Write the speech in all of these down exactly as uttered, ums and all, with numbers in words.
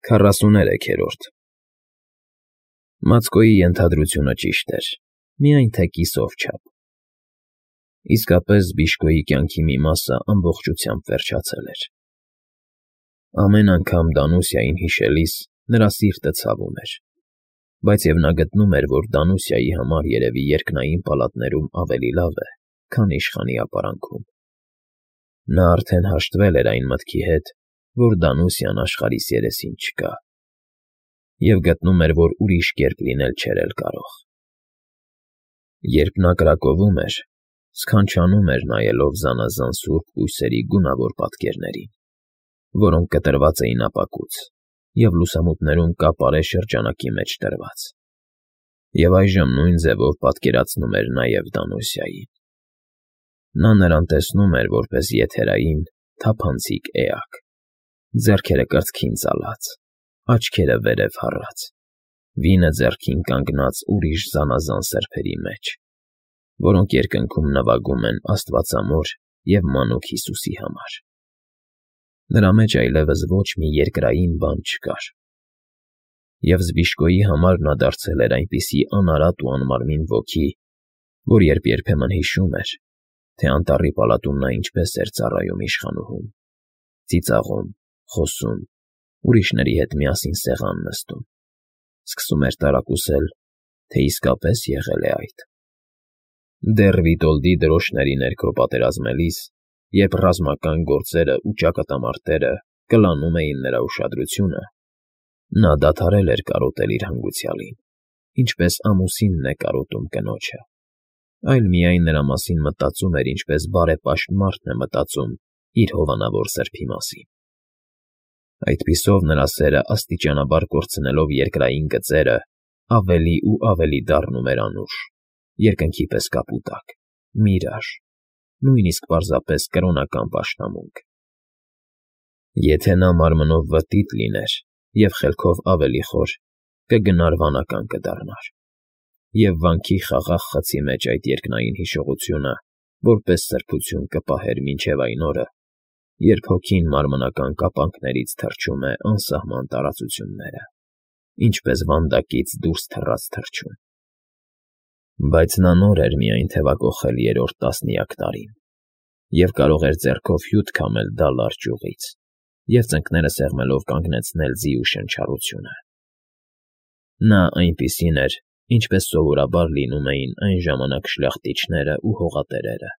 Քառասուներեքերորդ Մացկոյի ենթադրությունը ճիշտ էր, միայն թե կիսով չափ. իսկապես Բիժկոյի կյանքի մի մասը ամբողջությամբ վերջացել էր. ամեն անգամ Դանուսիային հիշելիս նրա սիրտը ցավում էր, բայց և նա գտնում էր, որ Դանուսիայի համար երևի երկնային պալատներում ավելի լավ է, քան իշխանի ապարանքում. նա արդեն հաշտվել էր այն մտքի հետ, որ Դանուսիան աշխարհիս երեսին չկա, և գտնում էր, որ ուրիշ կերպ լինել չէր էլ կարող. Երբ նա կրակովում էր, սքանչանում էր նայելով զանազան սուրբ բույսերի գունավոր պատկերներին, որոնք կտրված էին ապակուց և լուսամուտներում կապարե շրջանակի մեջ դրված, և այժմ նույն ձևով պատկերացնում էր նաև Դանուսիային. նա նրան տեսնում էր որպես եթերային, թափանցիկ էակ, ձեռքերը կրծքին ծալած, աչքերը վերև հառած, վինը ձեռքին կանգնած ուրիշ զանազան սրբերի մեջ, որոնք երկնքում նվագում են աստվածամոր և մանուկ Հիսուսի համար. նրա մեջ այլևս ոչ մի երկրային բան չկար, և Զբիժկոյի համար նա դարձել էր այնպիսի անարատ ու անմարմին ոգի, որ երբ երբեմն հիշում էր, թե անտառի պալատում նա ինչպես էր ծառայում իշխանուհուն, ծիծաղում, խոսում, ուրիշների հետ միասին սեղան նստում, սկսում էր տարակուսել, թե իսկապես եղե՞լ է այդ. դեռ Վիտոլդի դրոշների ներքո պատերազմելիս, երբ ռազմական գործերն ու ճակատամարտերը կլանում էին նրա ուշադրությունը, նա դադարել էր կարոտել իր հանգուցյալին, ինչպես ամուսինն է կարոտում կնոջը, այլ միայն նրա մասին մտածում էր, ինչպես բարեպաշտ մարդն է մտածում իր հովանավոր սրբի մասին. Այդպիսով նրա սերը աստիճանաբար կորցնելով երկրային գծերը, ավելի ու ավելի դառնում էր անուշ, երկնքի պես կապուտակ, միրաժ, նույնիսկ պարզապես կրոնական պաշտամունք. եթե նա մարմնով վտիտ լիներ և խելքով ավելի խոր, կգնար վանական կդառնար, և վանքի խաղաղ խցի մեջ այդ երկնային հիշողությունը որպես սրբություն կպահեր մինչև այն օրը, երբ հոգին մարմնական կապանքներից թռչում է անսահման տարածությունները, ինչպես վանդակից դուրս թռած թռչուն. Բայց նա նոր էր միայն թևակոխել երրորդ տասնյակ տարին, և կարող էր ձեռքով հյութ քամել դալար ճյուղից և ծնկները սեղմելով կանգնեցնել ձի ու շնչառությունը. նա այնպիսին էր, ինչպես սովորաբար լինում էին այն ժամանակ շլախտիչներն ու հողատերերը,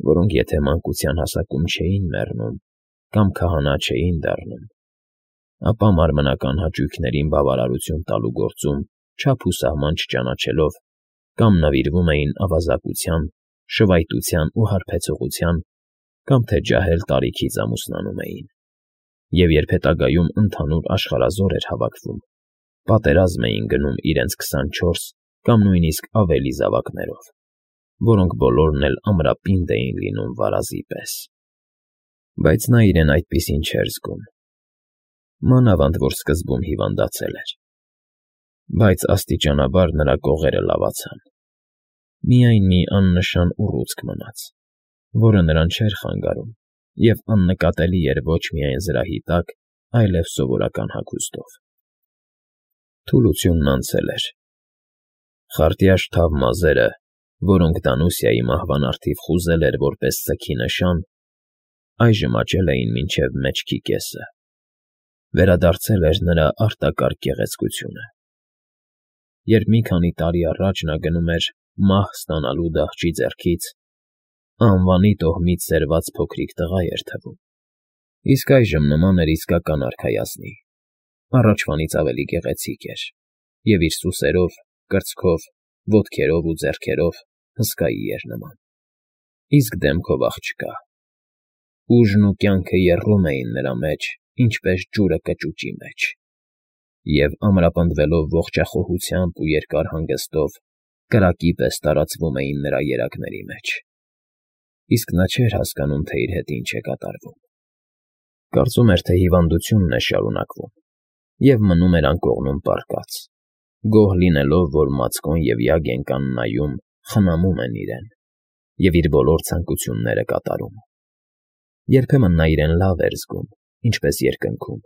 որոնք եթե մանկության հասակում չէին մեռնում կամ քահանա չէին դառնում, ապա մարմնական հաճույքներին բավարարություն տալու գործում չափ ու սահման չճանաչելով կամ նվիրվում էին ավազակության, շվայտության ու հարբեցողության, կամ թե ջահել տարիքից ամուսնանում էին, և երբ հետագայում ընդհանուր աշխարհազոր էր հավաքվում, պատերազմ էին գնում իրենց քսանչորս կամ նույնիսկ ավելի զավակներով, որոնք բոլորն էլ ամրապինդ էին լինում վարազի պես. Բայց նա իրեն այդպիսին չէր զգում, մանավանդ որ սկզբում հիվանդացել էր, բայց աստիճանաբար նրա կողերը լավացան, միայն մի աննշան ուռուցք մնաց, որը նրան չէր խանգարում և աննկատելի էր ոչ միայն զրահի տակ, այլև սովորական հագուստով. թուլությունն անցել էր, խարտյաշ թավ մազերը, որոնք Դանուսիայի մահվան առթիվ խուզել էր որպես սգի նշան, այժմ աճել էին մինչև մեջքի կեսը, վերադարձել էր նրա արտակարգ գեղեցկությունը. երբ մի քանի տարի առաջ նա գնում էր մահ ստանալու դահճի ձեռքից, անվանի տոհմից սերված փոքրիկ տղա էր թվում, իսկ այժմ նման էր իսկական արքայազնի, առաջվանից ավելի գեղեցիկ էր և իր սուսերով, կրծքով, ոտքերով ու ձեռքերով հսկայի էր նման, իսկ դեմքով աղջկա, ուժն ու կյանքը եռում էին նրա մեջ, ինչպես ջուրը կճուճի մեջ, և ամրապնդվելով ողջախոհությամբ ու երկար հանգստով, կրակի պես տարածվում էին նրա երակների մեջ, իսկ նա չէր հասկանում, թե իր հետ ինչ է կատարվում, կարծում էր, թե հիվանդությունն է շարունակվում, և մնում էր անկողնում պառկած, գոհ լինելով, որ Մացկոն և Յագենկան նայում, խնամում են իրեն և իր բոլոր ցանկությունները կատարում. երբեմն նա իրեն լավ էր զգում, ինչպես երկնքում,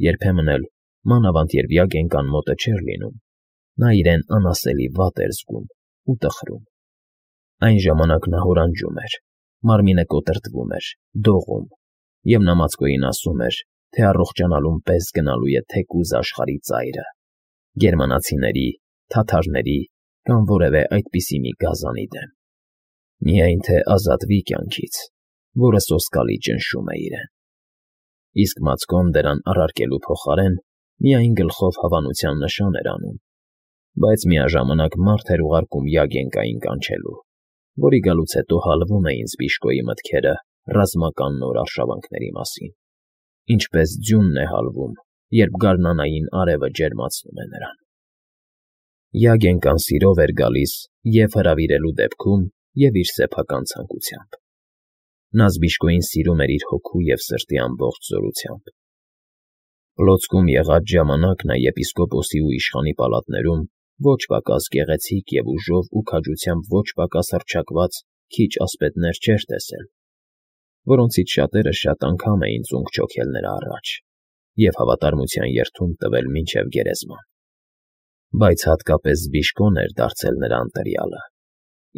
երբեմն էլ, մանավանդ երբ Յագենկան մոտը չէր լինում, նա իրեն անասելի վատ էր զգում ու տխրում։ Այն ժամանակ նա հորանջում էր, մարմինը կոտրտվում էր, դողում, և նա մածկոյին ասում էր, թե առողջանալուն պես գնալու է թեկուզ աշխարհի ծայրը, գերմանացիների, թաթարների կամ որևէ այդպիսի մի գազանի դեմ, միայն թե ազատվի կյանքից, որը սոսկալի ճնշում է իրեն։ Իսկ մածկոն դրան առարկելու փոխարեն միայն գլխով հավանության նշան էր անում, բայց միաժամանակ մարդ էր ուղարկում Յագենկային կանչելու, որի գալուց հետո հալվում էին Զբիշկոյի մտքերը ռազմական նոր արշավանքների մասին, ինչպես ձյունն է հալվում, երբ գարնանային արևը ջերմացնում է նրան։ Յագենկան սիրով էր գալիս և հրավիրելու դեպքում, և իր սեփական ցանկությամբ։ Նա Զբիշկոյին սիրում էր իր հոգու և սրտի ամբողջ զորությամբ։ Պլոցկում եղած ժամանակ նա եպիսկոպոսի ու իշխանի պալատներում ոչ պակաս գեղեցիկ և ուժով ու քաջությամբ ոչ պակաս հռչակված քիչ ասպետներ չէր տեսել, որոնցից շատերը շատ անգամ էին ծունկ չոքել նրա առաջ և հավատարմության երդում տվել մինչև գերեզման։ Բայց հատկապես Զբիշկոն էր դարձել նրա ընտրյալը,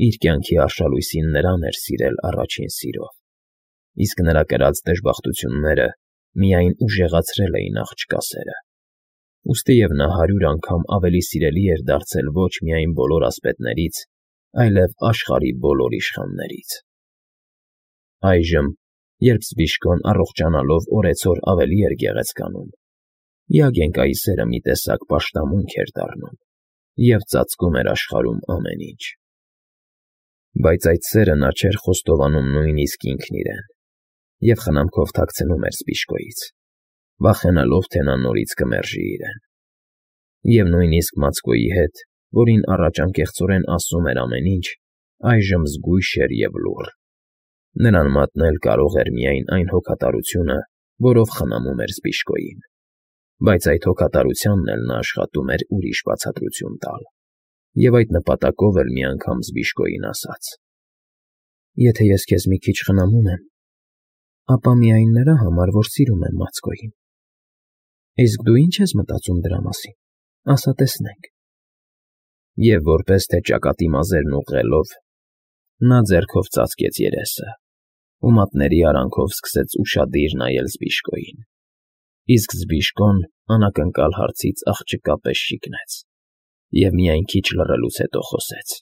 իր կյանքի արշալույսին նրան էր սիրել առաջին սիրով, իսկ նրա կրած դժբախտությունները միայն ուժեղացրել էին աղջկա սերը, ուստիև նա հարյուր անգամ ավելի սիրելի էր դարձել ոչ միայն բոլոր ասպետներից, այլև աշխարհի բոլոր իշխաններից։ Այժմ, երբ Զբիշկոն առողջանալով օրեցօր ավելի էր գեղեցկանում, Յագենկայի սերը մի տեսակ պաշտամունք էր դառնում և ծածկում էր աշխարհում ամեն ինչ։ Բայց այդ սերը նա չէր խոստովանում նույնիսկ ինքն իրեն և խնամքով թաքցնում էր Զբիշկոյից, վախենալով, թե նա նորից կմերժի իրեն։ Եվ նույնիսկ մածկոյի հետ, որին առաջ անկեղծորեն ասում էր ամեն ինչ, այժմ զգույշ էր և լուռ։ Նրան մատնել կարող էր միայն այն հոգատարությունը, որով խնամում էր Զբիշկոյին, բայց այդ հոգատարությանն էլ նա աշխատում էր ուրիշ բացատրություն տալ, և այդ նպատակով էլ մի անգամ Զբիշկոյին ասաց. «Եթե ես քեզ մի քիչ խնամում եմ, ապա միայն նրա համար, որ սիրում եմ մածկոյին։ Իսկ դու ի՞նչ ես մտածում դրա մասին, ասա տեսնենք»։ Եվ որպես թե ճակատի մազերն ուղղելով, նա ձեռքով ծածկեց երեսը ու մատների արանքով սկսեց ուշադիր նայել Զբիշկոյին, իսկ Զբիշկոն անակնկալ հարցից աղջկա պես շիկնեց և միայն քիչ լռելուց հետո խոսեց.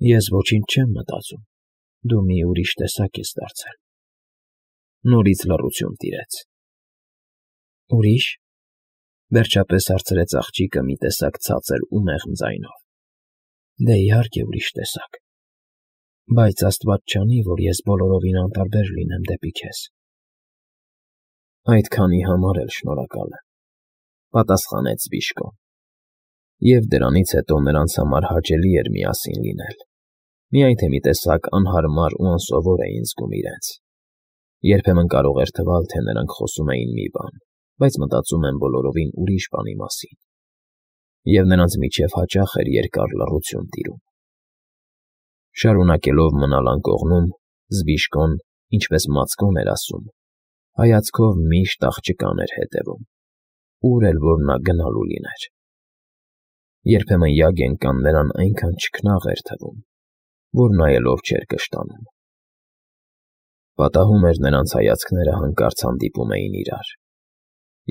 «Ես ոչինչ չեմ մտածում, դու մի ուրիշ տեսակ ես դարձել»։ Նորից լռություն տիրեց։ «Ուրի՞շ», վերջապես հարցրեց աղջիկը մի տեսակ ցածր ու մեղմ ձայնով։ «Դե, իհարկե, ուրիշ տեսակ, բայց աստված չանի, որ ես բոլորովին անտարբեր լինեմ դեպի քեզ»։ «Այդքանի համար էլ շնորհակալ եմ», պատասխանեց Զբիշկոն։ Եվ դրանից հետո նրանց համար հաճելի էր միասին լինել, միայն թե մի տեսակ անհարմար ու անսովոր էին զգում իրենց։ Երբեմն կարող էր թվալ, թե նրանք խոսում էին մի բան, բայց մտածում են բոլորովին ուրիշ բանի մասին, և նրանց միջև հաճախ էր երկար լռություն տիրում։ Շարունակելով մնալ անկողնում, Զբիշկոն, ինչպես մածկոն էր ասում, հայացքով միշտ աղջկան էր հետևում, ուր էլ որ նա գնալու լիներ։ Երբեմն Յագենկան նրան այնքան չքնաղ էր թվում, որ նայելով չէր կշտանում։ Պատահում էր նրանց հայացքները հանկարծ հանդիպում էին իրար,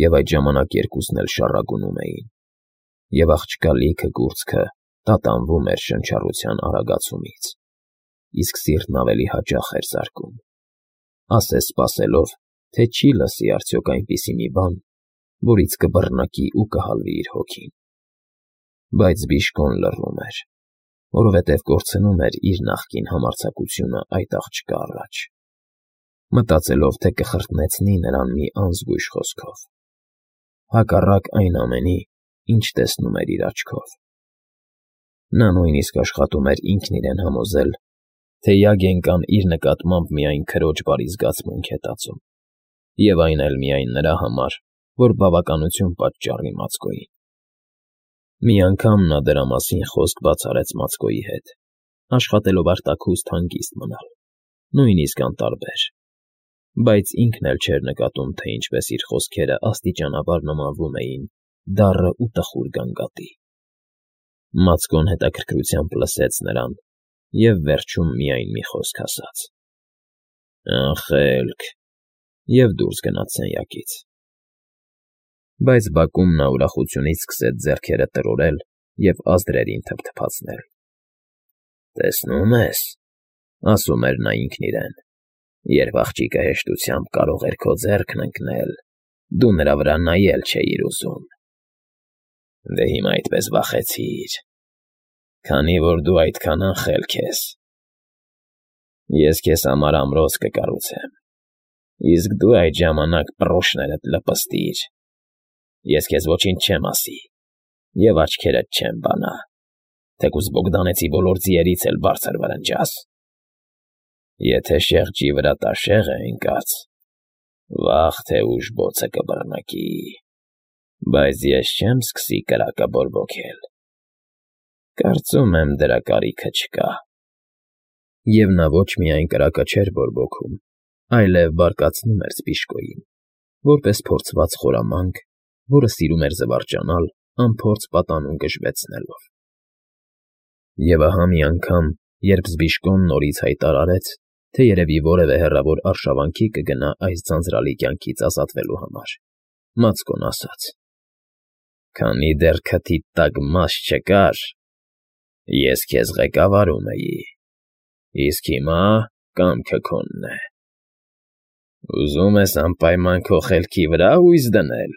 և այդ ժամանակ երկուսն էլ շառագունում էին, և աղջկա լիքը կուրծքը տատանվում էր շնչառության արագացումից, իսկ սիրտն ավելի հաճախ էր զարկում, ասես սպասելով, թե չի լսի արդյոք այնպիսի մի բան, որից կբռնակի ու կհալվի իր հոգին։ Բայց Զբիշկոն լռում էր, որովհետև կորցնում էր իր նախկին համարձակությունը այդ աղջկա առաջ, մտածելով, թե կխրտնեցնի նրան մի անզգույշ խոսքով, հակառակ այն ամենի, ինչ տեսնում էր իր աչքով։ Նա նույնիսկ աշխատում էր ինքն իրեն համոզել, թե Յագենկան իր նկատմամբ միայն քրոջ բարի զգացմունք է տածում, և այն էլ միայն նրա համար, որ բավականություն պատճառի մածկոյին։ Մի անգամ նա դրա մասին խոսք բաց արեց մածկոյի հետ, աշխատելով արտաքուստ հանգիստ մնալ, նույնիսկ անտարբեր, բայց ինքն էլ չէր նկատում, թե ինչպես իր խոսքերը աստիճանաբար նմանվում էին դառն ու տխուր գանգատի։ Մացկոն հետաքրքրությամբ լսեց նրան և վերջում միայն մի խոսք ասաց. «Անխելք», և դուրս գնաց սենյակից։ Բայց բակում նա ուրախությունից սկսեց ձեռքերը տրորել և ազդրերին թփթփացնել։ «Տեսնում ես,֊ ասում էր նա ինքն իրեն,֊ երբ աղջիկը հեշտությամբ կարող էր քո ձեռքն ընկնել, դու նրա վրա նայել չէիր ուզում։ Դե հիմա այդպես վախեցիր, քանի որ դու այդքան անխելք ես։ Ես քեզ համար ամրոց կկառուցեմ, իսկ դու այդ ժամանակ պռոշներդ լպստիր։ Ես քեզ ոչինչ չեմ ասի և աչքերդ չեմ բանա, թեկուզ Բոգդանեցի բոլոր ձիերից էլ բարձր վրնջաս։ Եթե շեղջի վրա տաշեղ է ընկած, վաղ թե ուշ բոցը կբռնկի, բայց ես չեմ սկսի կրակը բորբոքել։ Կարծում եմ, դրա կարիքը չկա»։ Եվ նա ոչ միայն կրակը չէր բորբոքում, այլև բարկացնում էր սպիշկոյին, որպես փորձված խորամանկ, որը սիրում էր զվարճանալ անփորձ պատանու գժվեցնելով։ Եվ ահա մի անգամ, երբ Զբիշկոն նորից հայտարարեց, թե երևի որևէ հեռավոր արշավանքի կգնա այս ձանձրալի կյանքից ազատվելու համար, Մացկոն ասաց. «Քանի դեռ քթիդ տակ մաս չկար, ես քեզ ղեկավարում էի, իսկ հիմա կամքը քոնն է։ Ուզում ես անպայման քո խելքի վրա հույս դնել։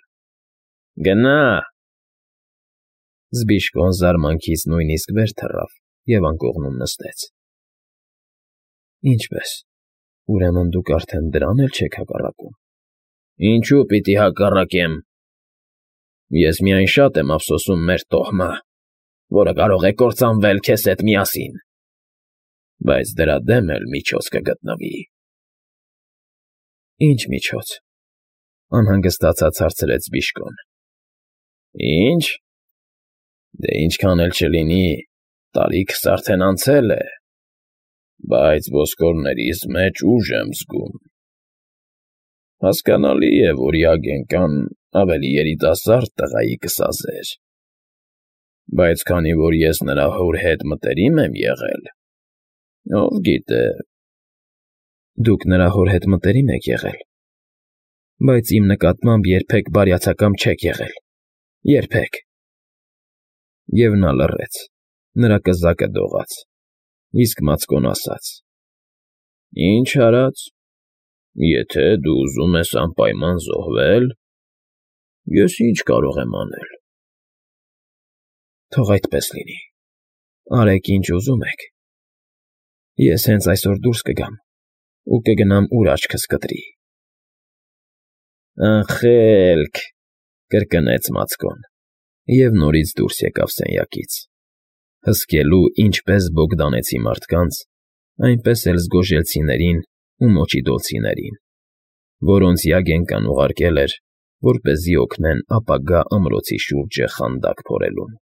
Գնա՛»։ Զբիշկոն զարմանքից նույնիսկ վեր թռավ և անկողնում նստեց։ «Ինչպե՞ս, ուրեմն դուք արդեն դրան էլ չեք հակառակում»։ «Ինչո՞ւ պիտի հակառակեմ։ Ես միայն շատ եմ ափսոսում մեր տոհմը, որը կարող է կործանվել քեզ հետ միասին, բայց դրա դեմ էլ միջոց կգտնվի»։ «Ի՞նչ միջոց,֊ անհանգստացած հարցրեց Զբիշկոն։ «Ի՞նչ. դե ինչքան էլ չլինի, տարիքս արդեն անցել է, բայց ոսկորներիս մեջ ուժ եմ զգում։ Հասկանալի է, որ Յագենկան ավելի երիտասարդ տղայի կսազեր, բայց քանի որ ես նրա հոր հետ մտերիմ եմ եղել, ով գիտե…» «Դուք նրա հոր հետ մտերիմ եք եղել, բայց իմ նկատմամբ երբեք բարյացակամ չեք եղել, երբեք»։ Եվ նա լռեց, նրա կզակը դողաց, իսկ Մացկոն ասաց. «Ինչ արած, եթե դու ուզում ես անպայման զոհվել, ես ինչ կարող եմ անել»։ «Թող այդպես լինի, արեք ինչ ուզում եք։ Ես հենց այսօր դուրս կգամ ու կգնամ, ուր աչքս կտրի»։ «Անխելք,֊ կրկնեց Մացկոն և նորից դուրս եկավ սենյակից, հսկելու ինչպես բոգդանեցի մարդկանց, այնպես էլ զգոժելցիներին ու մոչիդոլցիներին, որոնց Յագենկան ուղարկել էր, որպեսզի օգնեն ապագա ամրոցի շուրջը խանդակ փորելուն։